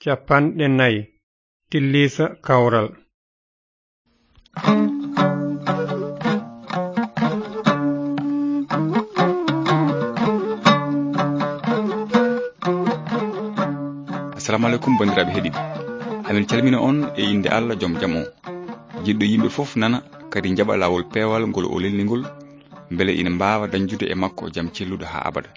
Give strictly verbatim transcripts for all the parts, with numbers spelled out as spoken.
Cappanɗe nayi. Tilliisa kawral. Assalamu aleykum, banndiraaɓe heɗiiɓe. Amin calmina on e innde Allah, joom jam o. Jiɗɗo yimɓe fof nana, kadi njaɓa laawol peewal ngol o lelni ngol, mbele ina mbaawa dañdude e makko jam celluɗo haa abada.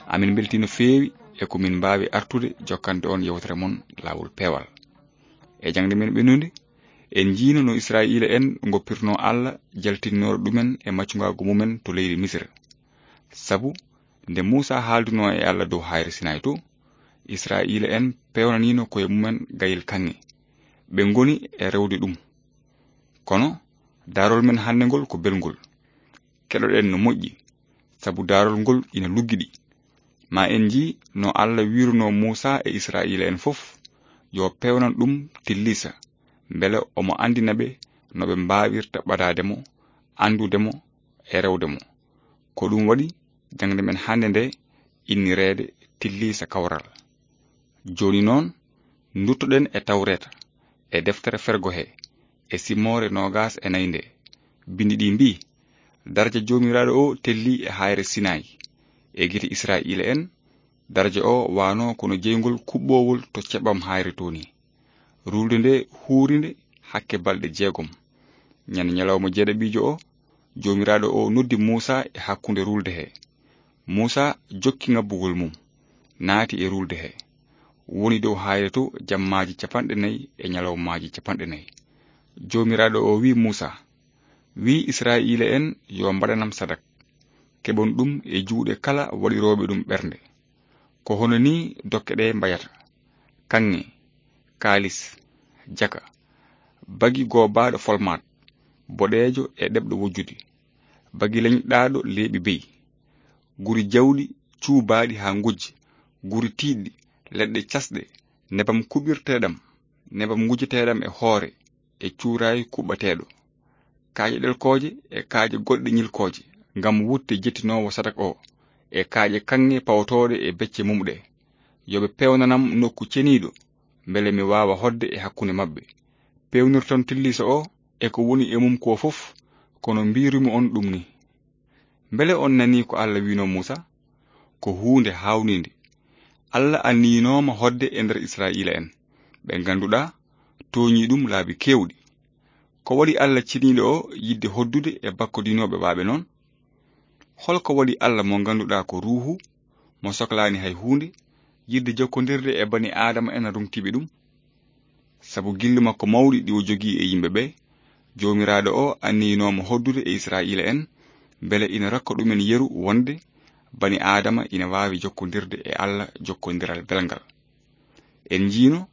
Amin mbeltii no feewi e ko min mbaawi artude jokkande on yewtere mon laawol peewal. E jaŋde men ɓennude, en njiino no Israa'iila en ngoppirnoo Allah jaltinnooɗo ɗumen e maccungaagu mumen to leydi Misira. Sabu nde Muusaa haaldunoo e Allah dow haayre Sinaay to, Israa'iila en peewnaniino koye mumen gayel kaŋŋe. Ɓe ngoni e rewde ɗum. Kono daarol men hannde ngol ko belngol. Keɗoɗen no moƴƴi, sabu daarol ngol ina luggiɗi. Ma en njii no Allah wiirunoo Muusaa e Israa'iila en fof yo peewnan ɗum tilliisa, mbele omo anndina ɓe no ɓe mbaawirta ɓadaade mo, anndude mo e rewde mo. Ko ɗum waɗi jaŋde men hannde nde innireede tilliisa kawral. Jooni noon, nduttoɗen e Tawreeta, e deftere fergo he, e simoore noogas e nayi nde. Binndi ɗi mbii, daraja Joomiraaɗo o tellii e haayre Sinaay. E gite Israa'iila en, daraja o waanoo kono jeyngol kuɓɓoowol to ceɓɓam haayre to ni. Ruulde nde huuri nde hakke balɗe jeegom. Ñande ñalawma jeeɗaɓiijo o, Joomiraaɗo o noddi Muusaa e hakkunde ruulde he. Muusaa jokki ŋabbugol mum, naati e ruulde he. Woni dow haayre to jammaaji capanɗe nayi e ñalawmaaji capanɗe nayi. Joomiraaɗo o wi'i Muusaa, wi'i Israa'iila en yo mbaɗanam sadak. Keɓon ɗum e juuɗe kala waɗirooɓe ɗum ɓernde. Ko hono nii dokke ɗe mbayata: kaŋŋe, kaalis, jaka, bagi goobaaɗo folmaat, boɗeejo e ɗeɓɗo wojjude, bagi leñɗaaɗo leeɓi beyi, guri jawɗi cuubaaɗi haa ngujja, guri tiiɗɗi, leɗɗe casɗe, nebam kuɓirteeɗam, nebam ngujeteeɗam e hoore, e cuuraay kuɓɓateeɗo, kaaƴe ɗelkooje e kaaƴe goɗɗe ñilkooje, ngam wutte jettinoowo sadak o, e kaaƴe kaŋŋe pawtooɗe e becce mum ɗe. Yo ɓe peewnanam nokku ceniiɗo, mbele mi waawa hoɗde e hakkunde maɓɓe. Peewnirton tilliisa o e ko woni e mum ko fof, kono mbiirumi on ɗum ni. Mbele on nanii ko Allah wi'noo Muusaa? Ko huunde haawniinde. Allah anniyinooma hoɗde e nder Israa'iila en, ɓe ngannduɗaa tooñii ɗum laabi keewɗi. Ko waɗi Allah ceniiɗo o yiɗde hoɗdude e bakkodinooɓe ɓaɓe noon? Hol ko waɗi Allah mo ngannduɗaa ko Ruuhu, mo soklaani hay huunde, yiɗde jokkondirde e bani Aadama en ruŋtiiɓe ɗum? Sabu gilli makko mawɗi ɗi o jogii e yimɓe ɓe, Joomiraaɗo o anniyinooma hoɗdude e Israa'iila en, mbele ina rokka ɗumen yeru wonde bani Aadama ina waawi jokkondirde e Allah jokkondiral belngal. En njiino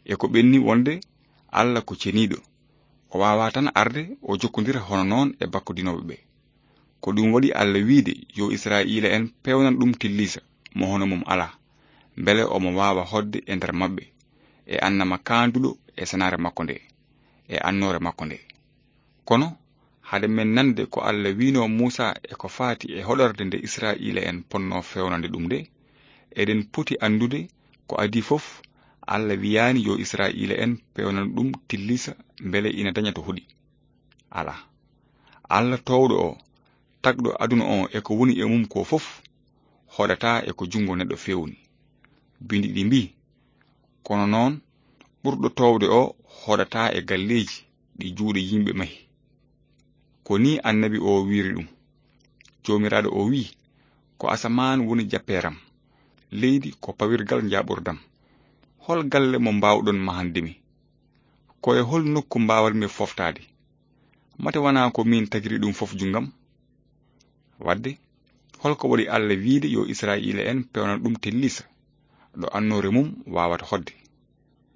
e ko ɓenni wonde Allah ko ceniiɗo. O waawaa tan arde o jokkondira hono noon e bakkodinooɓe ɓe. Ko ɗum waɗi Allah wi'de yo Israa'iila en peewnan ɗum tilliisa mo hono mum alaa, mbele omo waawa hoɗde e nder maɓɓe, e annama kaanduɗo e senaare makko nde, e annoore makko nde. Kono hade men nande ko Allah wi'noo Muusaa e ko faati e hoɗorde nde Israa'iila en ponnoo feewnande ɗum nde, eɗen poti anndude ko adii fof, Allah wiyaani yo Israa'iila en peewnan ɗum tilliisa mbele ina daña to hoɗi. Alaa. Allah toowɗo o, tagɗo aduna o e ko woni e mum ko fof, hoɗataa e ko junngo neɗɗo feewni. Binndi ɗi mbii, kono noon, ɓurɗo toowde o hoɗataa e galleeji ɗi juuɗe yimɓe mahi. Ko nii annabi o wiiri ɗum. Joomiraaɗo o wi'i, ko asamaan woni jappeeram, leydi ko pawirgal njaaɓurdam. Hol galle mo mbaawɗon mahande mi? Ko e hol nokku mbaawanmi foftaade? Mate wanaa ko miin tagiri ɗum fof junngam? Wadde, hol ko waɗi Allah wiide yo Israa'iila en peewnan ɗum tilliisa, ɗo annoore mum waawata hoɗde?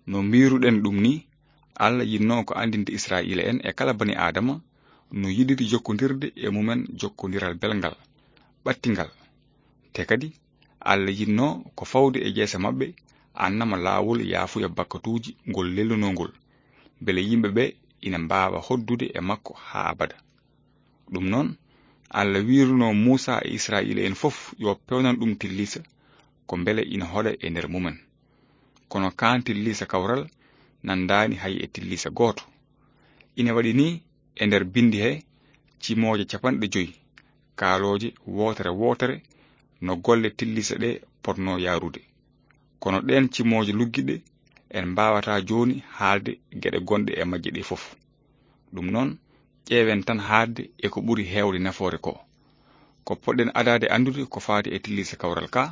No mbiiruɗen ɗum ni, Allah yiɗnoo ko anndinde Israa'iila en e kala bani Aadama no yiɗiri jokkondirde e mumen jokkondiral belngal, ɓattingal. Te kadi, Allah yiɗnoo ko fawde e jeese maɓɓe, annama laawol yaafuya bakkatuuji ngol lelnunoo ngol, mbele yimɓe ɓe ina mbaawa hoɗdude e makko haa abada. Ɗum noon, Allah wiirunoo Muusaa e Israa'iila en fof yo peewnan ɗum tilliisa, ko mbele ina hoɗa e nder mumen. kono kaan tilliisa kawral nanndaani hay e tilliisa gooto. Ina waɗi nii e nder binndi he cimooje capanɗe joy, kaalooje wootere wootere no golle tilliisa ɗe potnoo yaarude. Kono ɗeen cimooje luggiɗe en mbaawataa jooni haalde geɗe gonɗe e majje ɗe fof. Ɗum noon, ƴeewen tan haalde e ko ɓuri heewde nafoore ko. Ko poɗɗen adaade anndude ko faati e tilliisa kawral ka,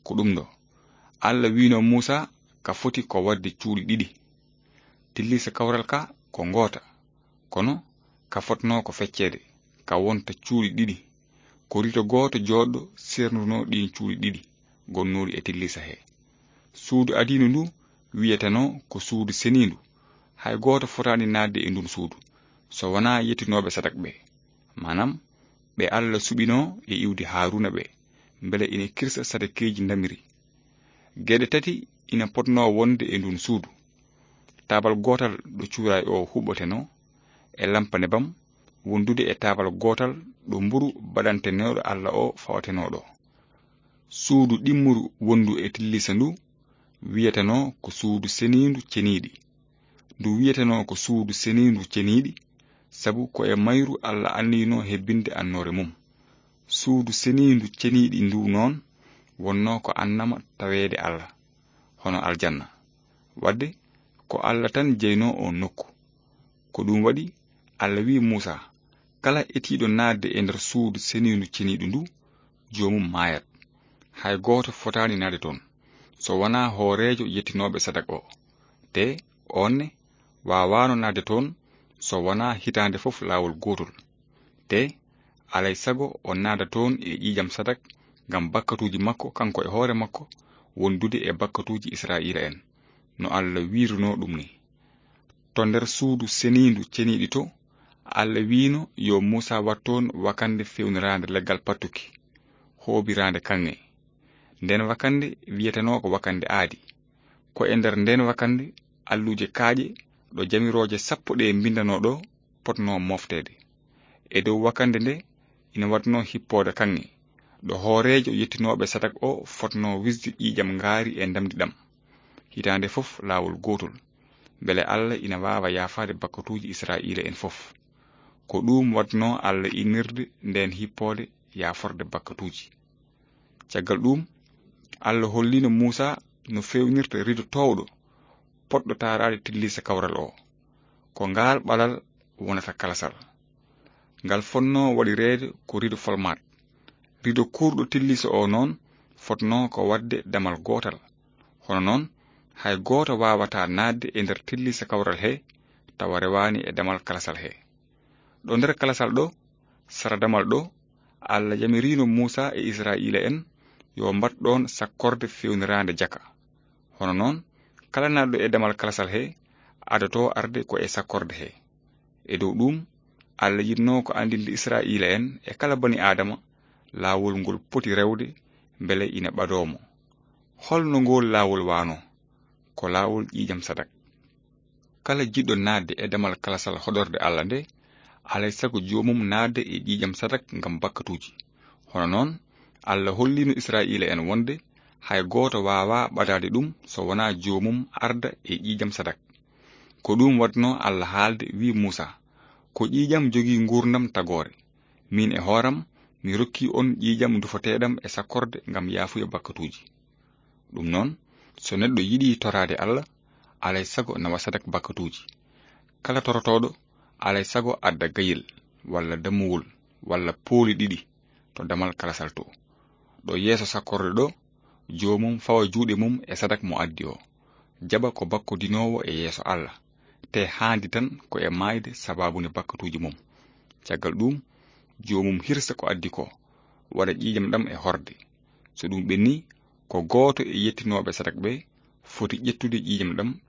ko ɗum ɗo. Alla wiino Muusa ka foti ko waɗde cuuɗi ɗiɗi. Tilliisa kawral ka ko ngoota, kono ka fotnoo ko fecceede, ka wonta cuuɗi ɗiɗi. Ko rido gooto jooɗɗo sernduno ɗiin cuuɗi ɗiɗi gonnuɗi e tilliisa he. Suudu adiindu ndu wiyetenoo ko suudu seniindu. Hay gooto fotaani naatde e ndun suudu, so wonaa yettinooɓe sadak ɓe, maanaam ɓe Alla suɓinoo e iwdi Haaruuna ɓe, mbele ina kirsa sadakeeji ndamiri. Geɗe tati ina potnoo wonde e ndun suudu. Taabal gootal ɗo cuuraay o huɓɓotenoo, e lampa nebam, wondude e taabal gootal ɗo mburu baɗantenooɗo Alla o fawatenoo ɗo. Suudu ɗimmuru wondu e tilliisa ndu wiyetenoo ko suudu seniindu ceniiɗi. Ndu wiyetenoo ko suudu seniindu ceniiɗi, sabu ko e mayru Alla anniyinoo hebbinde annoore mum. Suudu seniindu ceniiɗi ndu noon wonnoo ko annama taweede Alla, hono aljanna. Waɗde ko Alla tan jeynoo oon nokku. Ko ɗum waɗi Alla wi'i Muusa, kala etiiɗo naatde e nder suudu seniindu ceniiɗu ndu, joomum maayat. Hay gooto fotaani naatde toon, so wonaa hooreejo yettinooɓe sadak o. Te oon ne waawaano naatde toon, so wonaa hitaande fof laawol gootol. Te alay sago o naata toon e ƴiiƴam sadak ngam bakkatuuji makko kanko e hoore makko, wondude e bakkatuuji Israa'iila en, no Alla wiirunoo ɗum ni. To nder suudu seniindu ceniiɗi to, Alla wiino yo Muusa wat toon wakannde fewniraande leggal pattuki, hoobiraande kaŋŋe. Nden wakannde wiyetenoo ko wakannde aadi. Ko e nder nden wakannde alluuje kaaƴe ɗo jamirooje sappo ɗe mbinndanoo ɗo potnoo moofteede. E dow wakannde nde ina waɗnoo hippoode kaŋŋe, ɗo hooreejo yettinooɓe sadak o fotnoo wisde ƴiiƴam ngaari e ndamndi ɗam. Hitaande fof laawol gootol, mbele Alla ina waawa yaafaade bakkatuuji Israa'iila en fof. Ko ɗuum waɗnoo Alla innirde ndeen hippoode yaaforde bakkatuuji. Caggal ɗuum, Alla holliino Muusa no feewnirta rido toowɗo potɗo taaraade tilliisa kawral o. Ko ngaal ɓalal wonata kalasal. Ngal fotnoo waɗireede ko rido folmaat. Rido kuurɗo tilliisa o noon fotnoo ko waɗde damal gootal. Hono noon, hay gooto waawataa naatde e nder tilliisa kawral he tawa rewaani e damal kalasal he. Ɗo nder kalasal ɗo, sara damal ɗo, Alla yamiriino Muusa e Israa'iila en yo mbaɗ ɗoon sakkorde feewniraande jaka. Hono noon, kala naatɗo e damal kalasal he, adotoo arde ko e sakkorde he. E dow ɗuum, Alla yiɗnoo ko anndinde Israa'iila en e kala bani Aadama laawol ngol poti rewde mbele ina ɓadoo mo. Hol no ngool laawol waanoo? Ko laawol ƴiiƴam sadak. Kala jiɗɗo naatde e damal kalasal hoɗorde Alla nde, alay sago joomum naatde e ƴiiƴam sadak ngam bakkatuuji. Hono noon, Alla holliino Israa'iila en wonde hay gooto waawaa ɓadaade ɗum so wonaa joomum arda e ƴiiƴam sadak. Ko ɗum waɗnoo Alla haalde, wi'i Muusa, ko ƴiiƴam jogii nguurndam tagoore. Miin e hooram, mi rokkii on ƴiiƴam ndufoteeɗam e sakkorde ngam yaafuya bakkatuuji. Ɗum noon, so neɗɗo yiɗii toraade Alla, alay sago nawa sadak bakkatuuji. Kala torotooɗo, alay sago adda gayel, walla dammuwol, walla pooli ɗiɗi to damal kalasal to. Ɗo yeeso sakkorde ɗo, joomum fawa juuɗe mum e sadak mo addi o, jaɓa ko bakkodinoowo e yeeso Alla, te haandi tan ko e maayde sabaabu nde bakkatuuji mum. Caggal ɗuum, joomum hirsa ko addi ko, waɗa ƴiiƴam ɗam e horde. So ɗum ɓenni, ko gooto e yettinooɓe sadak ɓe foti ƴettude ƴiiƴam ɗam,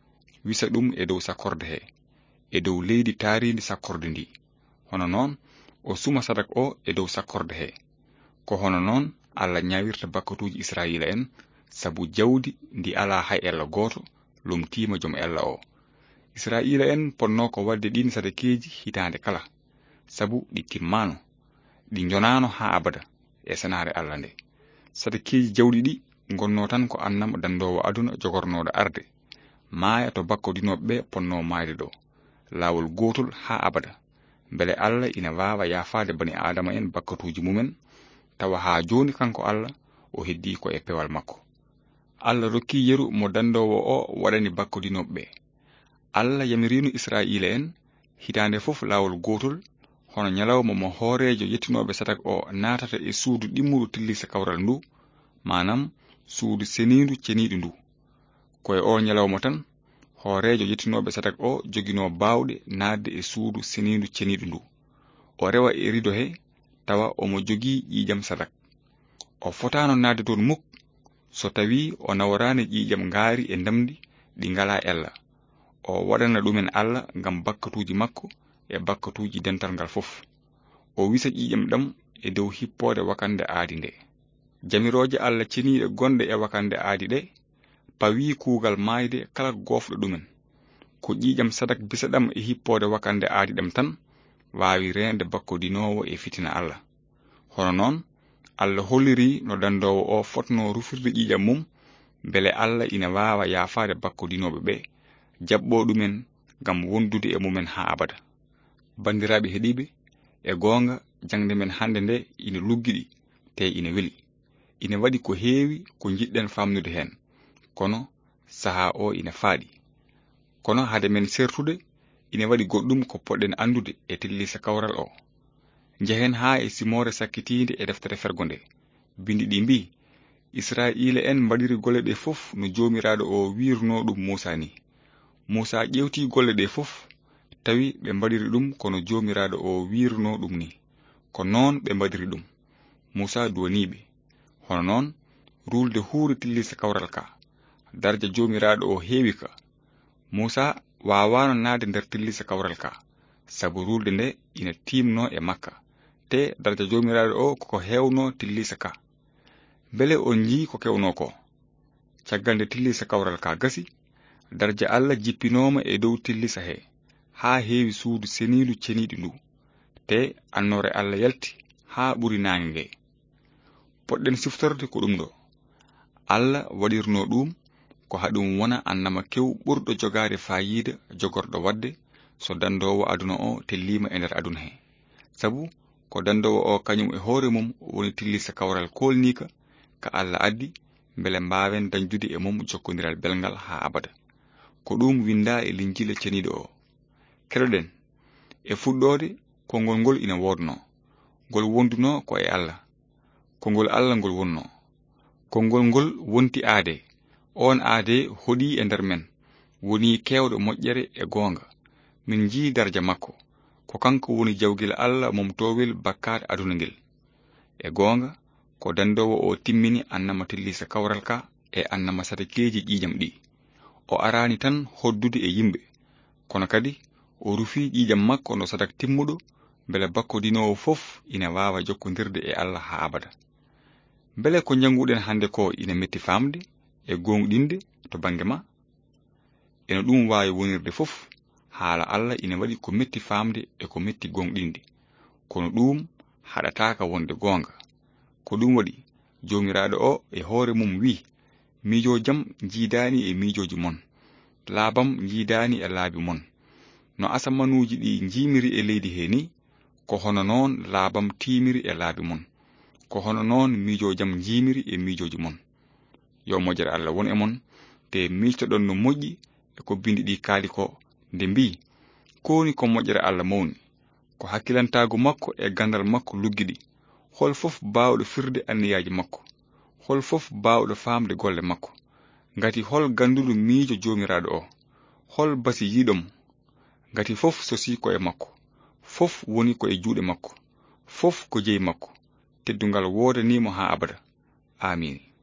wisa ɗum e dow sakkorde he, e dow leydi taariindi sakkorde ndi. Hono noon, o suma sadak o e dow sakkorde he. Ko hono noon Alla ñaawirta bakkatuuji Israa'iila en, sabu jawdi ndi alaa hay ella gooto lomtiima jom ella o. Israa'iila en potnoo ko waɗde ɗiin sadakeeji hitaande kala, sabu ɗi timmaano, ɗi njonaano haa abada e senaare Alla nde. Sadakeeji jawɗi ɗi ngonnoo tan ko annama danndoowo aduna jogornooɗo arde, maaya to bakkodinooɓe ɓe ponnoo maayde ɗo, laawol gootol haa abada. Mbele Allah ina waawa yaafaade bani Aadama en bakkatuuji mumen, tawa haa jooni kanko Allah o heddii ko e peewal makko. Allah rokkii yeru mo dandoowo o waɗani bakkodinooɓe ɓe. Allah yamiriino Israa'iila en hitaande fof laawol gootol, hono ñalawma mo hooreejo yettinooɓe sadak o naatata e suudu ɗimmuɗo tillisa kawral ndu, maanaam suudu seniindu ceniiɗo ndu. Ko e oo ñalawma tan, hooreejo yettinooɓe sadak o joginoo baawɗe naatde e suudu seniindu ceniiɗo ndu. O rewa e rido he, tawa omo jogii ƴiiƴam sadak. O fotaano naatde toon muk, so tawii o naworaani ƴiiƴam ngaari e ndamndi ɗi ngalaa ella. O waɗana ɗumen Allah ngam bakkatuuji makko e bakkatuuji dental ngal fof. O wisa ƴiiƴam ɗam e dow hippoode wakannde aadi nde. Jamirooje Allah ceniiɗe gonɗe e wakannde aadi ɗe pawii kuugal maayde kala goofɗo ɗumen. Ko ƴiiƴam sadak bisa ɗam e hippoode wakannde aadi ɗam tan waawi reende bakkodinoowo e fitina Allah. Hono noon, Allah hollirii no dandoowo o fotnoo rufirde ƴiiƴam mum, mbele Allah ina waawa yaafaade bakkodinooɓe ɓe, jaɓɓoo ɗumen ngam wondude e mumen haa abada. Banndiraaɓe heɗiiɓe, e goonga, jaŋde men hannde nde ina luggiɗi, te ina weli. Ina waɗi ko heewi ko njiɗɗen faamnude heen, kono sahaa o ina faaɗi. Kono hade men sertude, ina waɗi goɗɗum ko poɗɗen anndude e tillisa kawral o. Njehen haa e simoore sakkitiinde e deftere fergo nde. Binndi ɗi mbii, Israa'iila en mbaɗiri golle ɗe fof no Joomiraaɗo o wiirnoo ɗum Muusaa ni. Muusaa ƴeewtii golle ɗe fof, tawi ɓe mbaɗiri ɗum ko no Joomiraaɗo o wiirnoo ɗum ni. Ko noon ɓe mbaɗiri ɗum. Muusaa duwanii ɓe. Hono noon, ruulde huuri tillisa kawral ka. Darja Joomiraaɗo o heewi ka. Muusaa waawaano naatde nder tillisa kawral ka, sabu ruulde nde ina tiimnoo e makka, te darja Joomiraaɗo o ko ko heewnoo tillisa ka. Mbele on njii ko kewnoo ko? Caggal nde tillisa kawral ka gasi, darja Allah jippinooma e dow tillisa he, haa heewi suudu seniindu ceniiɗo ndu, te annoore Allah yalti haa ɓuri naange nge. Poɗɗen siftorde ko ɗum ɗo. Allah waɗirnoo ɗum ko haɗum wona annama kew ɓurɗo jogaade faayiida jogorɗo waɗde so dandoowo aduna o telliima e nder aduna he. Sabu ko dandoowo o kañum e hoore mum woni tillisa kawral koolniika ka Allah addi, mbele mbaawen dañdude e mum jokkondiral belngal haa abada. Ko ɗum winndaa e Linjiila ceniiɗo o. Keɗoɗen, e fuɗɗoode, konngol ngol ina woodnoo. Ngol wondunoo ko e Allah. Konngol Allah ngol wonnoo. Konngol ngol wonti aadee. Oon aadee hoɗii e nder men, wonii keewɗo moƴƴere e goonga. Min njii darja makko. Ko kanko woni jawgel Allah momtoowel bakkaat aduna ngel. E goonga, ko dandoowo o timmini annama tillisa kawral ka e annama sadakeeji ƴiiƴam ɗi. O araani tan hoddude e yimɓe, kono kadi o rufii ƴiiƴam makko no sadak timmuɗo, mbele bakkodinoowo fof ina waawa jokkondirde e Allah haa abada. Mbele ko njannguɗen hannde ko ina metti faamde e gooŋɗinde to bannge ma? Eno ɗum waawi wonirde fof, haala Allah ina waɗi ko metti faamde e ko metti gooŋɗinde. Kono ɗum haɗataaka wonde goonga. Ko ɗum waɗi, Joomiraaɗo o e hoore mum wi'i, "Miijoo jam njiidaani e miijooji mon, laabam njiidaani e laabi mon. No asamanuuji ɗi njiimiri e leydi he ni, ko hono noon laabam tiimiri e laabi mon. Ko hono noon miijoo jam njiimiri e miijooji mon." Yo moƴƴere Allah won e mon, te miijtoɗon no moƴƴi e ko binndi ɗi kaali ko, nde mbii, "Ko woni ko moƴƴere Allah mawni, ko hakkilantaagu makko e ganndal makko luggiɗi. Hol fof baawɗo firde anniyaaji makko? Hol fof baawɗo faamde golle makko? Ngati hol gannduɗo miijo Joomiraaɗo o? Hol basiyiiɗo mo? Ngati fof sosii ko e makko, fof woni ko e juuɗe makko, fof ko jeyi makko. Teddungal woodanii mo haa abada. Aamiin."